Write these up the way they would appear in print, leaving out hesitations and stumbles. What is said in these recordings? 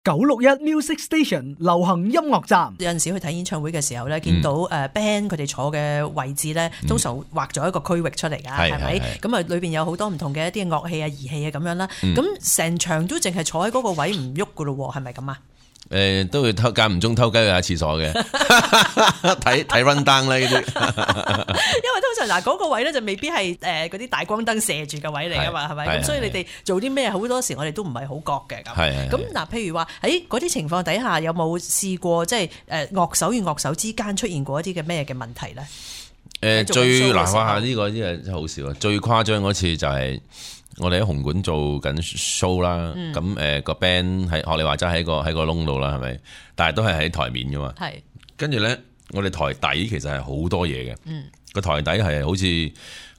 961 Music Station 流行音樂站。有陣時去睇演唱會嘅時候咧，見到band 佢哋坐嘅位置咧，通常畫咗一個區域出嚟㗎，係咪？咁啊，裏邊有好多唔同嘅一啲樂器啊、儀器啊咁樣啦。咁成場都淨係坐喺嗰個位唔喐㗎咯喎，係咪咁啊？都會間唔中偷雞去下廁所嘅，睇 run down 啦呢啲。因為通常嗱嗰個位咧就未必係嗰啲大光燈射住嘅位嚟噶嘛，係咪？咁所以你哋做啲咩好多時我哋都唔係好覺嘅咁。咁嗱，譬如話喺嗰啲情況底下，有冇試過即係樂手與樂手之間出現過一啲嘅咩嘅問題咧？最難話呢個真係好笑啊！最誇張嗰次就係我哋喺紅館做緊 show 啦，咁個 band 係學你話齋喺個窿度啦，係咪？但係都係喺台面噶嘛。係。跟住咧，我哋台底其實係好多嘢嘅。個台底係好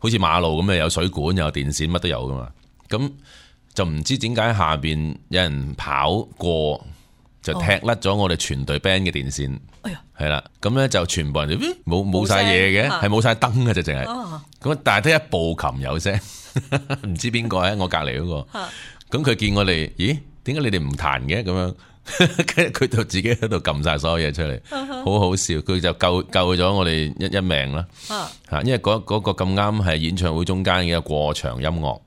似馬路咁嘅，有水管、有電線，乜都有噶嘛。咁就唔知點解下邊有人跑過，就踢甩咗我哋全隊 band 嘅電線。係啦，咁咧就全部人冇晒嘢嘅，係冇晒燈嘅，就淨係。咁但係得一部琴有聲。唔知邊個喺我隔離嗰個，咁佢見我哋，咦？點解你哋唔彈嘅？咁樣，跟住佢就自己喺度撳晒所有嘢出嚟，好好笑。佢就救咗我哋一命啦。因為嗰個咁啱係演唱會中間嘅一個過場音樂，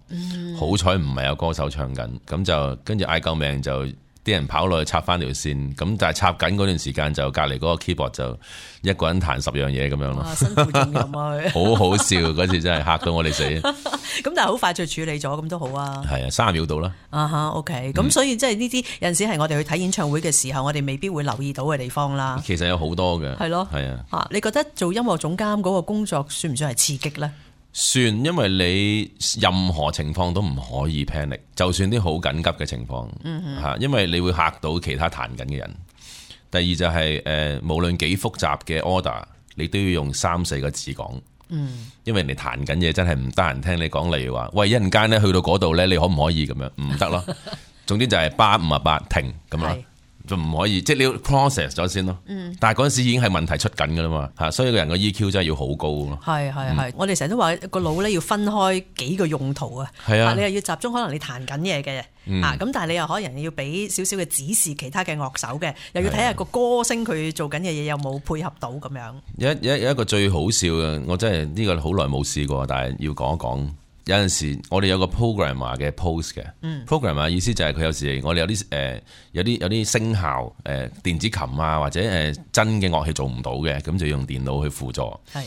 好彩唔係有歌手唱緊，咁就跟住嗌救命就。啲人跑落去插翻條線，咁但係插緊嗰段時間就隔離嗰個 keyboard 就一個人彈10樣嘢咁樣咯。辛苦重任啊！好好笑嗰次真係嚇到我哋死。咁但係好快就處理咗，咁都好啊。係啊，30秒到啦。OK。咁所以即係呢啲有陣時係我哋去睇演唱會嘅時候，我哋未必會留意到嘅地方啦。其實有好多嘅。係咯。係啊。你覺得做音樂總監嗰個工作算唔算係刺激咧？算，因為你任何情況都唔可以 panic， 就算啲好緊急嘅情況，因為你會嚇到其他彈緊嘅人。第二就係無論幾複雜嘅 order， 你都要用3-4個字講，因為人哋彈緊嘢真係唔得閒聽你講，例如話，喂，一陣間咧去到嗰度咧，你可唔可以咁樣？唔得咯。總之就係858停咁啦。就唔可以，即係你要 process 咗先咯。但係嗰陣時已經係問題出緊噶啦嘛，嚇，所以個人個 EQ 真係要好高咯。係，我哋成日都話個腦咧要分開幾個用途啊。係啊，你又要集中，可能你彈緊嘢嘅，咁但係你又可能要俾少少嘅指示其他嘅樂手嘅，又要睇下個歌星佢做緊嘅嘢有冇配合到咁樣。有一個最好笑嘅，我真係呢個好耐冇試過，但係要講一講。有陣時我哋有個 programmer 嘅 post 嘅，programmer 意思就係佢有時我哋有啲聲效電子琴啊或者真嘅樂器做唔到嘅，咁就用電腦去輔助。係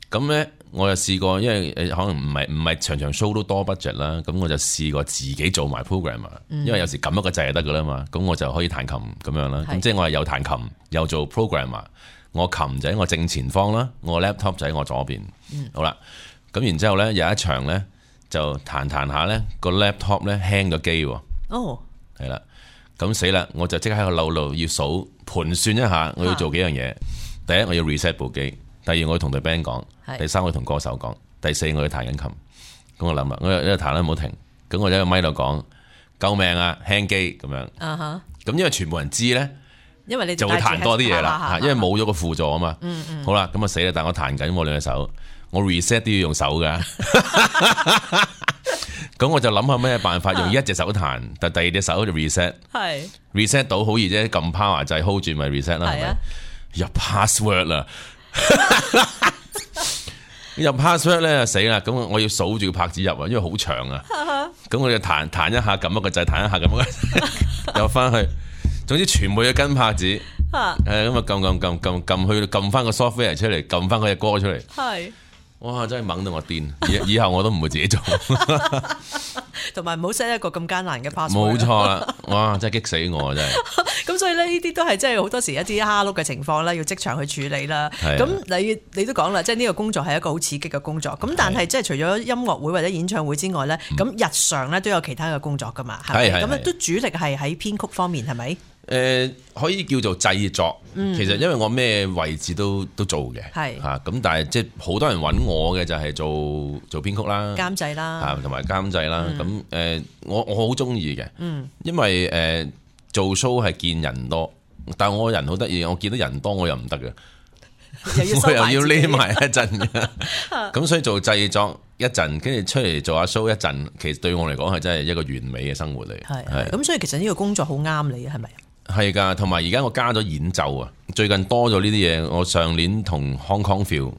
咁咧，我就試過，因為可能唔係場場 show 都多 budget 啦，咁我就試過自己做埋 programmer，因為有時撳一個掣就得噶啦嘛，咁我就可以彈琴咁樣啦。咁即係我係有彈琴又做 programmer， 我琴就喺我正前方啦，我 laptop 就喺我左邊。好啦。咁然之後咧，有一場咧就彈下咧個 laptop 咧輕咗機喎。係啦，咁死啦！我就即刻喺個腦度要數盤算一下，我要做幾樣嘢。第一，我要 reset 部機；第二，我要同隊 band 講；第三，我要同歌手講；第四，我要彈緊琴。咁我諗啦，我一路彈啦，唔好停。咁我就喺個咪度講：救命啊，輕機咁樣。咁因為全部人知咧，因為你就會彈多啲嘢啦，因為冇咗個輔助啊嘛。好啦，咁啊死啦！但我彈緊我兩隻手。我 reset 都要用手噶，咁我就諗下咩辦法用一隻手彈，但第二隻手就 reset 到好易啫，撳 power 掣 hold 住咪 reset 啦，係咪？入 password 啦，入 password 咧死啦！咁我要數住個拍子入啊，因為好長啊。咁我就彈一下，撳一個掣，彈一下撳一個掣，又翻去，總之全部要跟拍子。咁啊撳去撳翻個 software 出嚟，撳翻嗰隻歌出嚟。係。哇！真係猛到我癲，以後我都唔會自己做，同埋唔好 set 一個咁艱難嘅 password。冇錯啦！哇！真係激死我真係。咁所以咧，呢啲都係真係好多時一啲蝦碌嘅情況啦，要即場去處理啦。咁你都講啦，即係呢個工作係一個好刺激嘅工作。咁但係即係除咗音樂會或者演唱會之外咧，咁日常咧都有其他嘅工作噶嘛？係咪？咁都主力係喺編曲方面係咪？可以叫做製作，其實因為我咩位置都做嘅，係嚇咁，但係即係好多人揾我嘅就係做編曲啦、監製啦，同埋監製啦。咁我好中意嘅，因為做 show 係見人多，但係我人好得意，我見到人多我又唔得嘅，我又要匿埋一陣嘅，咁所以做製作一陣，跟住出嚟做下 show 一陣，其實對我嚟講係真係一個完美嘅生活嚟。係咁，所以其實呢個工作好啱你係咪？係㗎，同埋而家我加咗演奏啊，最近多咗呢啲嘢。我上年同 Hong Kong Phil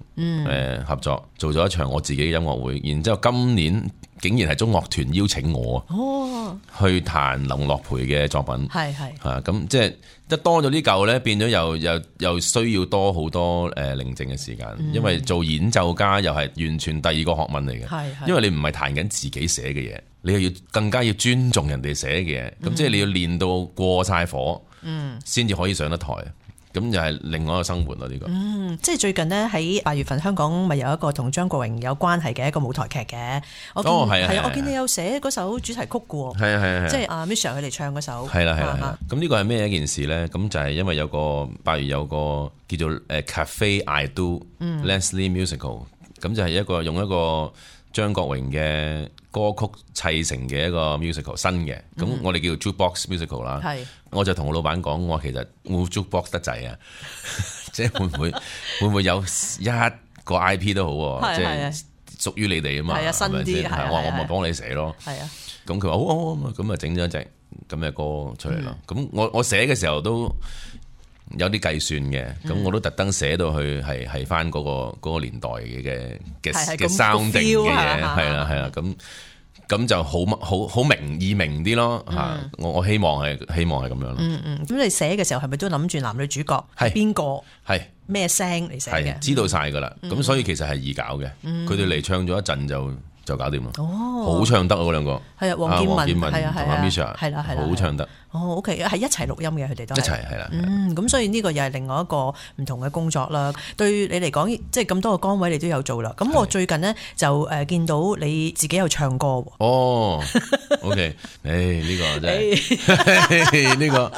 合作做咗一場我自己嘅音樂會，然之後今年竟然係中樂團邀請我去彈林樂培嘅作品。係咁即係一多咗呢嚿咧，變咗又需要多好多寧靜嘅時間，因為做演奏家又係完全第二個學問嚟嘅。因為你唔係彈緊自己寫嘅嘢，你又要更加要尊重人哋寫嘅嘢，咁即係你要練到過晒火，先至可以上得台。咁又係另外一個生活咯，呢個。即係最近呢，喺8月份香港咪有一個同張國榮有關係嘅一個舞台劇嘅。我見你有寫嗰首主題曲嘅喎。係。即係阿 Misha 佢哋唱嗰首。係啦。咁呢個係咩一件事咧？咁就係因為有個8月有個叫做Cafe I Do Leslie Musical，咁就係用一個張國榮嘅歌曲砌成嘅一個 musical 新嘅，咁我哋叫做 Jukebox Musical 啦。我就同我老闆講，我話其實會 Jukebox 得滯啊，即係會唔會有一個 IP 都好，即係屬於你哋啊嘛，新啲。我話我咪幫你寫咯。咁佢話好，咁啊整咗一隻咁嘅歌出嚟咯。咁我寫嘅時候都有啲計算嘅，咁我都特登寫到去係翻嗰個年代嘅 sounding 嘅嘢，係啦，咁就好易明啲咯嚇。我希望係咁樣咯。咁你寫嘅時候係咪都諗住男女主角係邊個？係咩聲嚟寫嘅？知道晒噶啦。咁所以其實係易搞嘅。佢哋嚟唱咗一陣就搞掂咯。好唱得嗰兩個。係啊，黃建文同阿 Misha 係啦，好唱得。OK， 係一齊錄音嘅，佢哋都一齊係啦。咁所以呢個又係另外一個唔同嘅工作啦。對你嚟講，即係咁多個崗位你都有做啦。咁我最近呢，就見到你自己有唱歌喎。OK， 呢個真係呢個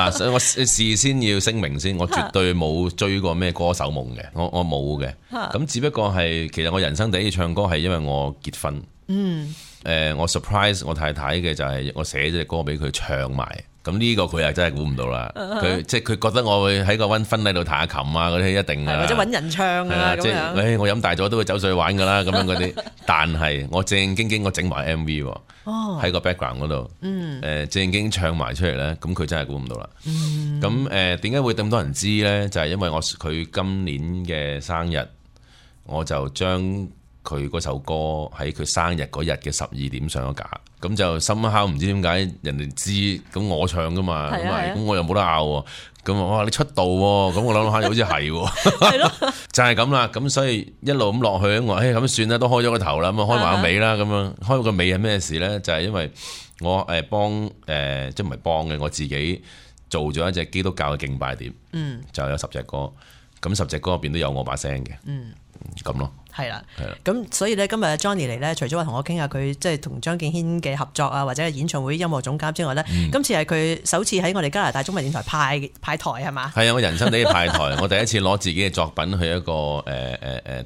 嗱，我事先要聲明先，我絕對冇追過咩歌手夢嘅，我冇嘅。咁只不過係其實我人生第一次唱歌係因為我結婚。我 surprise 我太太嘅就係我寫咗隻歌俾佢唱埋，咁呢個佢又真係估唔到啦。佢即係佢覺得我會喺個婚禮度彈下琴啊嗰啲一定或者揾人唱啊咁樣。我飲大咗都會走上去玩噶啦咁樣嗰啲，但係我正正經經我整埋 MV 喎，喺個 background 嗰度，正正經唱埋出嚟咧，咁佢真係估唔到啦。咁點解會咁多人知咧？就係因為佢今年嘅生日，我就將佢嗰首歌喺佢生日嗰日嘅12點上咗架，咁就somehow唔知點解人哋知，咁我唱噶嘛，咁我又冇得拗喎，咁我話你出道喎，咁我諗下好似係喎，就係咁啦，咁所以一路咁落去，我話咁算啦，都開咗個頭啦，咁開埋個尾啦，咁樣開個尾係咩事咧？就係因為我幫即係唔係幫嘅，我自己做咗一隻基督教嘅敬拜碟，就有10隻歌，咁10隻歌入邊都有我把聲嘅，咁咯。係啦，咁所以咧今日 Johnny 嚟咧，除咗話同我傾下佢即係同張敬軒嘅合作啊，或者係演唱會音樂總監之外咧，今次係佢首次喺我哋加拿大中文電台派台係嘛？係啊，我人生第一派台，我第一次攞自己嘅作品去一個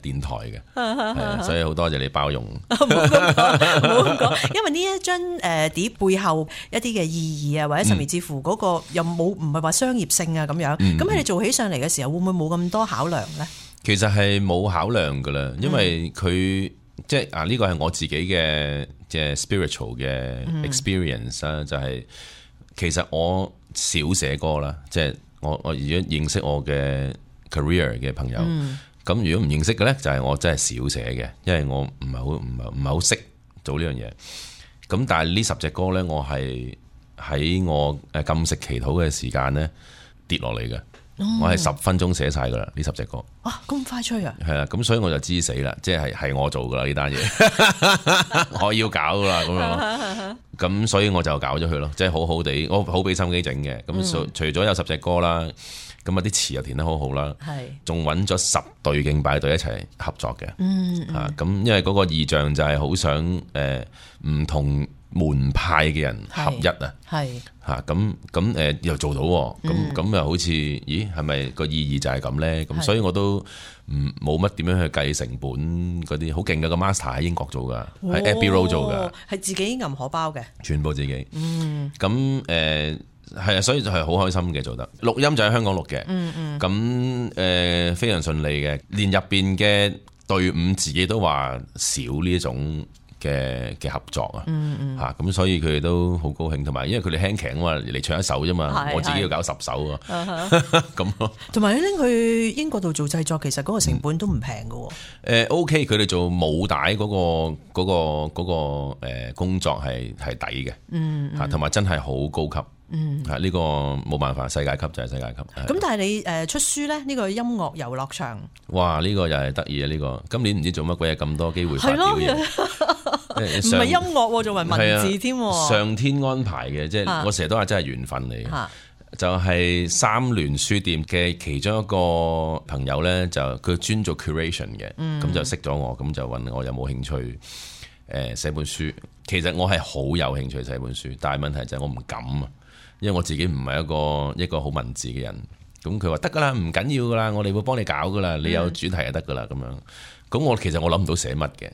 電台嘅，所以好多謝你包容。冇咁講，因為呢一張碟背後一啲嘅意義啊，或者甚至乎嗰個又唔係話商業性啊咁樣，咁喺你做起上嚟嘅時候，會唔會冇咁多考量咧？其實係冇考量噶啦，因為佢即係呢個係我自己嘅即係 spiritual 嘅 experience 啦，就係其實我少寫歌啦，即係我如果認識我嘅 career 嘅朋友，咁如果唔認識嘅咧，就係我真係少寫嘅，因為我唔係好識做呢樣嘢。咁但係呢10隻歌咧，我係喺我禁食祈禱嘅時間咧跌落嚟嘅。我係10分鐘寫晒噶啦，呢10隻歌。哇，咁快脆啊！係啊，咁所以我就知死啦，即係我做噶啦呢單嘢，我要搞噶啦咁樣。咁所以我就搞咗佢咯，即係好好地，我好俾心機整嘅。咁除咗有10隻歌啦，咁啲詞又填得好好啦，仲揾咗10隊敬拜隊一齊合作嘅。咁因為嗰個意象就係好想唔同門派嘅人合一啊，咁又做到，咁又好似，咦，係咪個意義就係咁咧？咁所以我都冇乜點樣去計成本嗰啲，好勁嘅個 master 喺英國做噶，喺 Abbey Road 做噶，係自己揞荷包嘅，全部自己。咁係啊，所以就係好開心嘅做得。錄音就喺香港錄嘅，咁非常順利嘅，連入邊嘅隊伍自己都話少呢一種嘅合作啊，咁所以佢哋都好高興，同埋因為佢哋輕騎啊嘛，嚟唱一首啫嘛，我自己要搞10首啊，咁咯。同埋你拎去英國度做製作，其實嗰個成本都唔平㗎。OK， 佢哋做舞帶嗰個工作係抵嘅，同埋真係好高級。呢個冇辦法，世界級就係世界級。咁但係你出書咧，呢個音樂遊樂場，哇！呢個又係得意啊！呢個今年唔知做乜鬼嘢咁多機會發表嘢，唔係音樂，仲係文字添。上天安排嘅，即係我成日都話真係緣分嚟嘅。就係三聯書店嘅其中一個朋友咧，就佢專做 curation 嘅，咁就識咗我，咁就問我有冇興趣寫本書。其實我係好有興趣寫本書，但係問題就係我唔敢啊。因為我自己唔係一個好文字嘅人，咁佢話得噶啦，唔緊要噶啦，我哋會幫你搞噶啦，你有主題就得噶啦咁樣。咁其實我諗唔到寫乜嘅，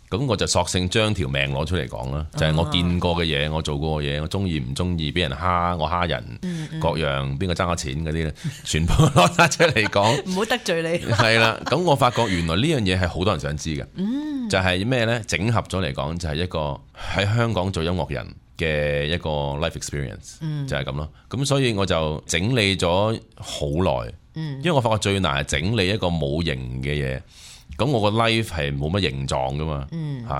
咁我就索性將條命攞出嚟講啦，就係我見過嘅嘢，我做過嘅嘢，我中意唔中意，俾人蝦我蝦人，各樣邊個爭我錢嗰啲咧，全部攞晒出嚟講，唔好得罪你。係啦，咁我發覺原來呢樣嘢係好多人想知嘅，就係咩呢？整合咗嚟講，就係一個喺香港做音樂人嘅一個 life experience，就係咁咯。咁所以我就整理咗好耐，因為我發覺最難係整理一個冇形嘅嘢。咁我個 life 係冇乜形狀噶嘛，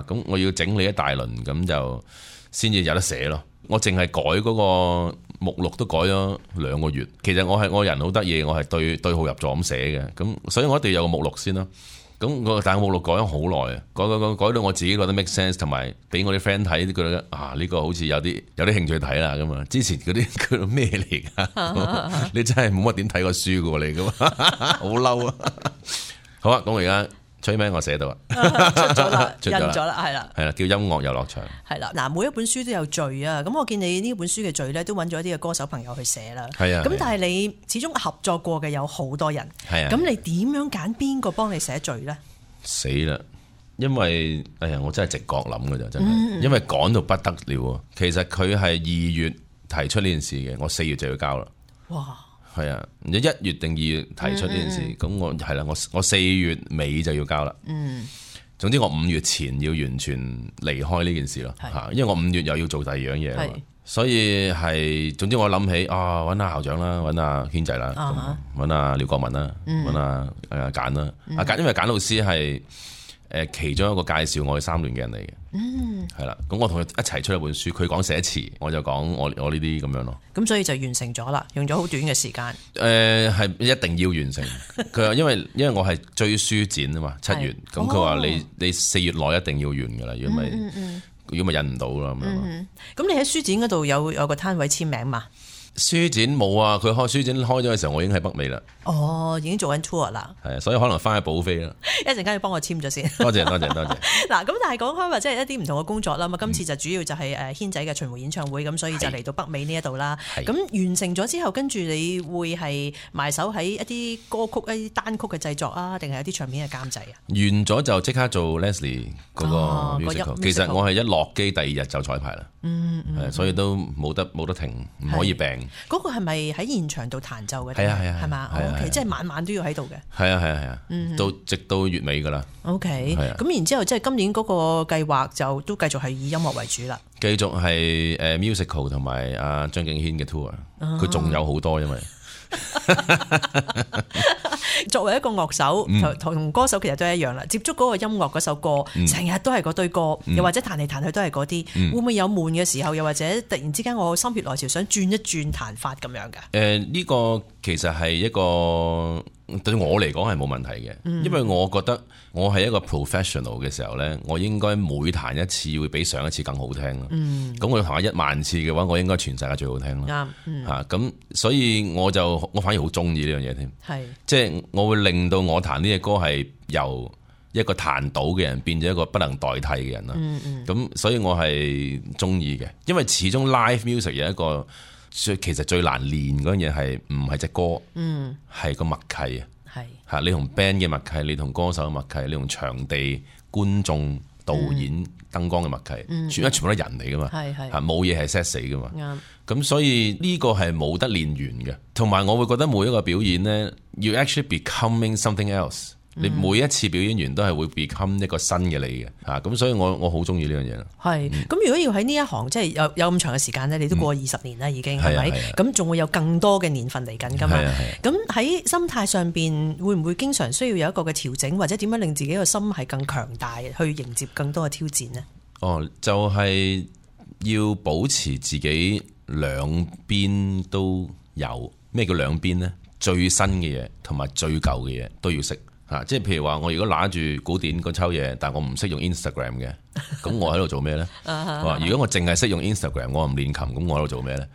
咁我要整理一大輪，咁就先至有得寫咯。我淨係改嗰個目錄都改咗2個月。其實我人好得意，我係對號入座咁寫嘅。咁所以我一定要有個目錄先咯。咁但係目錄改咗好耐啊，改到我自己覺得 make sense， 同埋俾我啲 friend 睇，覺得呢個好似有啲興趣睇啦咁啊。之前嗰啲佢咩嚟㗎？你真係冇乜點睇過書㗎嚟㗎嘛？好嬲啊！好啊，咁我而家吹咩？我寫到啊，出咗啦，印咗啦，係啦，叫音樂遊樂場。係啦，嗱，每一本書都有序啊。咁我見你呢本書嘅序咧，都揾咗一啲嘅歌手朋友去寫啦。係啊。咁但係你始終合作過嘅有好多人。係啊。咁你點樣揀邊個幫你寫序咧？死啦！因為我真係直覺諗㗎咋，真係。因為趕到不得了啊！其實佢係2月提出呢件事嘅，我4月就要交啦。哇！係啊，你1月定2月提出呢件事，咁我係啦，我4月尾就要交啦。總之我5月前要完全離開呢件事咯。因為我5月又要做第二樣嘢，所以係總之我諗起揾下校長啦，揾下軒仔啦，揾下廖國文啦，揾下簡啦。簡因為簡老師係其中一個介紹我去三聯嘅人嚟嘅，係啦。咁我同佢一齊出一本書，佢講寫詞，我就講我呢啲咁樣咯。咁所以就完成咗啦，用咗好短嘅時間。係一定要完成。佢話因為我係追書展啊嘛，7月。咁佢話你4月內一定要完噶啦，如果咪印唔到啦咁樣。咁你喺書展嗰度有個攤位簽名嘛？書展冇啊，佢書展開咗嘅時候，我已經喺北美啦。已經做緊 tour 啦。係啊，所以可能翻去補飛啦。一陣間要幫我簽咗先。多謝。嗱，咁但係講開話，即係一啲唔同嘅工作啦。咁今次就主要就係軒仔嘅巡迴演唱會，咁所以就嚟到北美呢一度啦。咁完成咗之後，跟住你會係埋手喺一啲歌曲、一啲單曲嘅製作啊，定係有啲唱片嘅監製啊？完咗就即刻做 Leslie 嗰個 musical。其實我係一落機第2日就彩排啦。所以都冇得停，唔可以病。嗰個係咪喺現場度彈奏嘅？係嘛？OK，即係晚晚都要喺度嘅。係啊，直到月尾噶啦。OK，咁然之後即係今年嗰個計劃就都繼續係以音樂為主啦。繼續係musical 同埋阿張敬軒嘅 tour，佢仲有好多，因為作為一個樂手同歌手其實都係一樣啦，接觸嗰個音樂嗰首歌，成日都係嗰堆歌，又或者彈嚟彈去都係嗰啲，會唔會有悶嘅時候？又或者突然之間我心血來潮想轉一轉彈法咁樣㗎？呢個其實係一個對我嚟講係冇問題嘅，因為我覺得我係一個 professional 嘅時候呢，我應該每彈一次會比上一次更好聽咯。咁我彈1萬次嘅話，我應該全世界最好聽咯。咁所以我反而好中意呢樣嘢添。即係我會令到我彈呢隻歌係由一個彈到嘅人變咗一個不能代替嘅人啦。咁所以我係中意嘅，因為始終 live music 有一個其實最難練嗰樣嘢係唔係隻歌，係個默契啊。你同 band 嘅默契，你同歌手嘅默契，你同場地觀眾導演、燈光嘅默契，全部都係人嚟噶嘛，冇嘢係 set 死噶嘛。咁所以呢個係冇得練完嘅。同埋我會覺得每一個表演呢，要 actually becoming something else。你每一次表演完都係會 become 一個新嘅你嘅嚇，咁所以我好中意呢樣嘢啦。係，咁如果要喺呢一行即係有咁長嘅時間咧，你都過20年啦已經係咪？咁仲會有更多嘅年份嚟緊㗎嘛？咁喺心態上邊會唔會經常需要有一個嘅調整，或者點樣令自己個心係更強大，去迎接更多嘅挑戰呢？就係要保持自己兩邊都有。咩叫兩邊呢？最新嘅嘢同埋最舊嘅嘢都要識。即係譬如話，我如果拿住古典嗰抽嘢，但我唔識用 Instagram 嘅，咁我喺度做咩呢？如果我淨係識用 Instagram， 我唔練琴，咁我喺度做咩呢？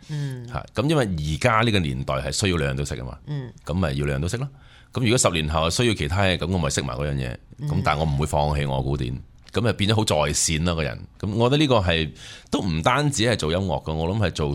咁因為而家呢個年代係需要兩樣都識啊嘛，咁咪要兩樣都識咯。咁如果10年後需要其他嘢，咁我咪識埋嗰樣嘢。咁但係我唔會放棄我古典，咁就變咗好在線啦個人。咁我覺得呢個係都唔單止係做音樂嘅，我諗係做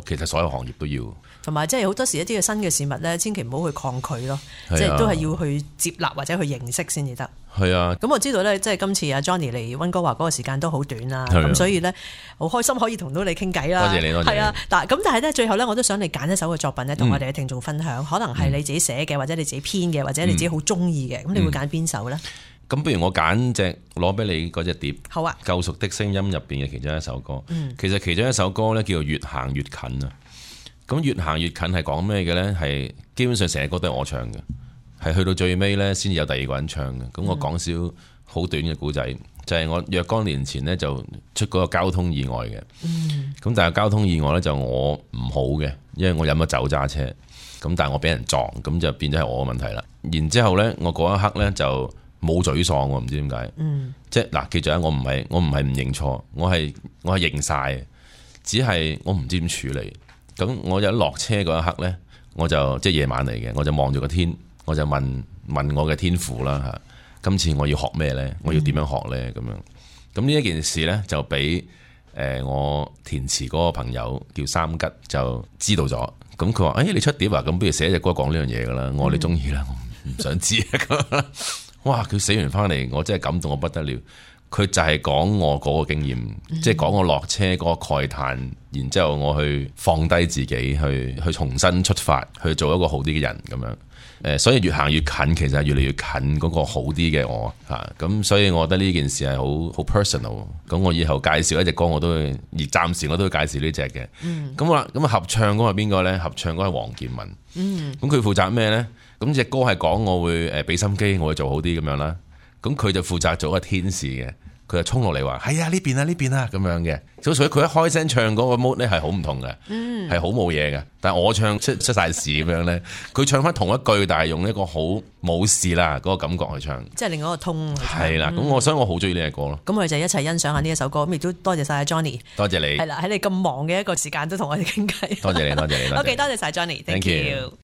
其實所有行業都要。同埋即係好多時一啲嘅新嘅事物咧，千祈唔好去抗拒咯，即係都係要去接納或者去認識先至得。係啊，咁我知道咧，即係今次阿 Johnny 嚟溫哥華嗰個時間都好短啦，咁所以咧好開心可以同到你傾偈啦。多謝你，多謝你。係啊，但係咧最後咧，我都想你揀一首嘅作品咧，同我哋嘅聽眾分享，可能係你自己寫嘅，或者你自己編嘅，或者你自己好中意嘅，咁你會揀邊首咧？咁不如我揀隻攞俾你嗰隻碟，好啊，救贖的聲音入邊嘅其中一首歌。其實其中一首歌咧叫做越行越近啊。咁越行越近係講咩嘅呢？係基本上成隻歌都係我唱嘅，係去到最尾呢先有第二個人唱嘅。咁我講少好短嘅故仔，就係我若干年前呢就出嗰個交通意外嘅。咁但係交通意外呢，就我唔好嘅，因為我飲咗酒揸車。咁但係我俾人撞，咁就變咗係我嘅問題啦。然之後呢，我嗰一刻呢就冇沮喪，我唔知點解。即係嗱，記住啊，我唔係唔認錯，我係認晒，只係我唔知點處理。咁我一落車嗰一刻呢，我就即係夜晚嚟嘅，我就望住個天，我就問我嘅天父啦嚇，今次我要學咩呢？我要點樣學呢？咁樣，咁呢一件事呢，就俾我填詞嗰個朋友叫三吉就知道咗。咁佢話：你出碟啊，咁不如寫隻歌講呢樣嘢噶啦。我話你中意啦，我唔想知啊。哇！佢寫完翻嚟，我真係感動我不得了。佢就係講我嗰個經驗，即係講我落車嗰個慨嘆，然之後我去放低自己，去重新出發，去做一個好啲嘅人咁樣。所以越行越近，其實係越嚟越近嗰個好啲嘅我嚇。咁所以我覺得呢件事係好 personal。咁我以後介紹一隻歌，我都會而暫時我都會介紹呢隻嘅。咁好啦，咁合唱嗰個係邊個呢？合唱嗰個係黃健文。咁佢負責咩呢？咁隻歌係講我會俾心機，我會做好啲咁樣啦。咁佢就負責做一個天使嘅，佢就衝落嚟話：係啊，呢邊啊，呢邊啊咁樣嘅。所以佢一開聲唱嗰個 mode 咧係好唔同嘅，係好冇嘢嘅。但係我唱出晒事咁樣咧，佢唱翻同一句，但係用一個好冇事啦嗰個感覺去唱，即係另外一個通。係啦，咁所以我好中意呢隻歌咯。咁我哋就一齊欣賞下呢一首歌。咁亦都多謝晒 Johnny，多謝你。係啦，喺你咁忙嘅一個時間都同我哋傾偈。多謝你，多謝你。OK，多謝晒 Johnny，Thank you。